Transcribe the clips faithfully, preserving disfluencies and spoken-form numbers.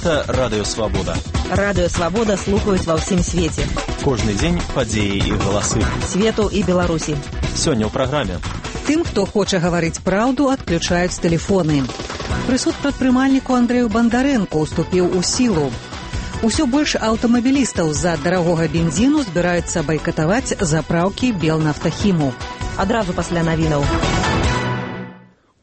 Гэта Радыё Свабода. Радыё Свабода слухаюць ва ўсім свеце. Кожны дзень падзеі і галасы. Свету і Беларусі. Сёння ў праграме. Тым, хто хоча гаварыць праўду, адключаюць тэлефоны. Прысуд прадпрымальніку Андрэю Бандарэнку уступіў у сілу. Усё больш аўтамабілістаў з-за дарагога бензіну збіраюцца байкатаваць запраўкі Белнафтахіму. Адразу пасля навінаў.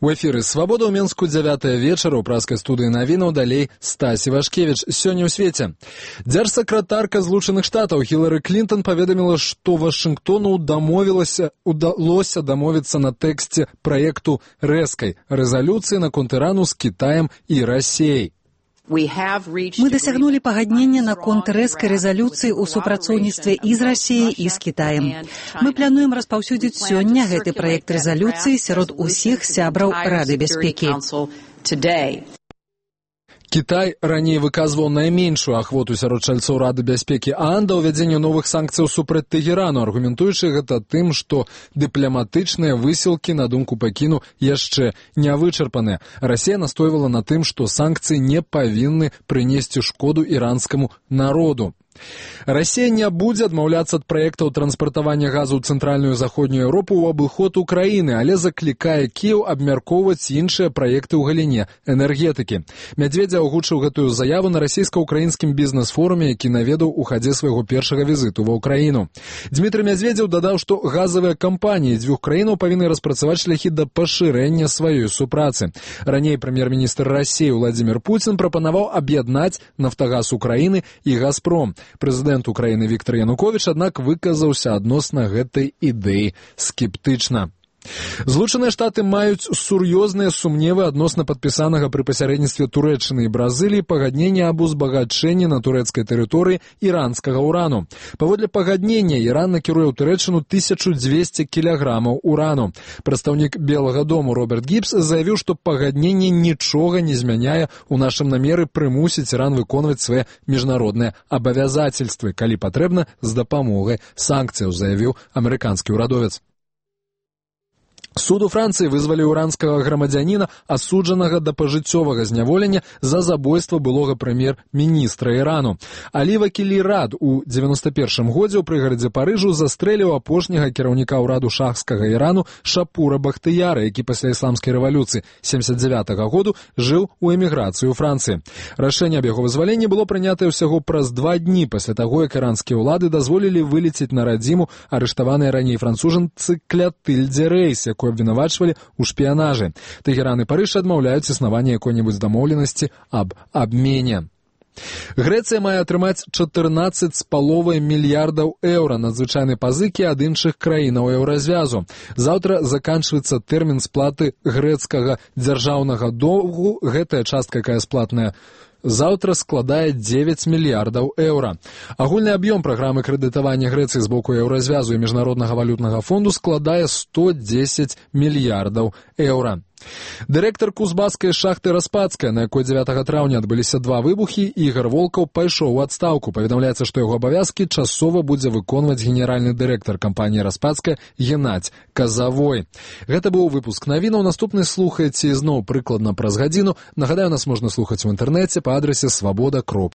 У эфіры «Свабода» ў Менску дзявятая вечара ў праскай студыі навінаў, далей Стась Івашкевіч. Сёння ў свеце. Дзяржсакратарка Злучаных Штатаў Хілары Клінтон паведаміла, што Вашынгтону дамовілася, удалося дамовіцца на тэксце праекту рэзкай рэзалюцыі наконт Ірану з Кітаем і Расіяй. Мы дасягнулі пагаднення наконт рэзкай рэзалюцыі ў супрацоўніцтве і з Расіяй, і з Кітаем. Мы плануем распаўсюдзіць сёння гэты праект рэзалюцыі сярод усіх сябраў Рады бяспекі. Кітай раней выказваў найменшую ахвоту сярод чальцоў Рады бяспекі ААН да ўвядзення новых санкцыяў супраць Тэгерану, аргументуючы гэта тым, што дыпламатычныя высілкі, на думку Пекіну, яшчэ не вычарпаныя. Расія настойвала на тым, што санкцыі не павінны прынесці шкоду іранскаму народу. Расія не будзе адмаўляцца ад праектаў транспартавання газу ў цэнтральную і заходнюю Еўропу ў абыход Украіны, але заклікае Кіеў абмяркоўваць іншыя праекты ў галіне энергетыкі. Мядзведзя агучыў гэтую заяву на расійска-украінскім бізнес-форуме, які наведаў у хадзе свайго першага візіту ва ўкраіну. Дмітрый Мядзведзеў дадаў, што газавыя кампаніі дзвюх краінаў павінны распрацаваць шляхі да пашырэння сваёй супрацы. Раней прэм'ер-міністр Расіі Владзімір Пуцін прапанаваў аб'яднаць «Нафтагаз Украіны» і «Газпром». Прэзідэнт Украіны Віктар Януковіч, аднак, выказаўся адносна гэтай ідэі скептычна. Злучаныя Штаты маюць сур'ёзныя сумневы адносна падпісанага пры пасярэдніцтве Турэччыны і Бразыліі пагаднення аб узбагачэнні на турэцкай тэрыторыі іранскага ўрану. Паводле пагаднення Іран накіруе ў Турэччыну тысячу дзвесце кілаграмаў урану. Прадстаўнік Белага дому Роберт Гібс заявіў, што пагадненне нічога не змяняе ў нашым намеры прымусіць Іран выконваць свае міжнародныя абавязацельствы, калі патрэбна, з дапамогай санкцыяў, заявіў амерыканскі ўрадовец. Суд у Францыі вызваліў іранскага грамадзяніна, асуджанага да пажыццёвага зняволення за забойства былога прэм'ер-міністра Ірану. Алі Вакілі Рад у дзевяноста першым годзе ў прыгарадзе Парыжу застрэліў апошняга кіраўніка ўраду шахскага Ірану Шапура Бахтыяра, які пасля ісламскай рэвалюцыі семдзесят дзявятага году жыў у эміграцыі ў Францыі. Рашэнне аб яго вызваленні было прынятае ўсяго праз два дні пасля таго, як іранскія ўлады дазволілі вылецець на радзіму арыштаваныя раней францужанцы Клятыльдзе Рэйс, якую абвінавачвалі ў шпіянажы. Тэгеран і Парыж адмаўляюць існаванне якой-небудзь дамоўленасці аб абмене. Грэцыя мае атрымаць чатырнаццаць з паловай мільярдаў еўра надзвычайнай пазыкі ад іншых краінаў еўразвязу. Заўтра заканчваецца тэрмін сплаты грэцкага дзяржаўнага доўгу. Гэтая частка, якая сплатная заўтра, складае дзевяць мільярдаў еўра. Агульны аб'ём праграмы крэдытавання Грэцыі з боку еўразвязу і міжнароднага валютнага фонду складае сто дзесяць мільярдаў еўра. Дырэктар кузбасскай шахты Распадская, на якой дзявятага траўня адбыліся два выбухі, Ігар Волкаў пайшоў у адстаўку. Паведамляецца, што яго абавязкі часова будзе выконваць генеральны дырэктар кампаніі Распадская Геннадзь Казавой. Гэта быў выпуск навінаў. Наступны слухаеце ізноў прыкладна праз гадзіну. Нагадаю, нас можна слухаць у інтэрнэце па адрасе свабода кропка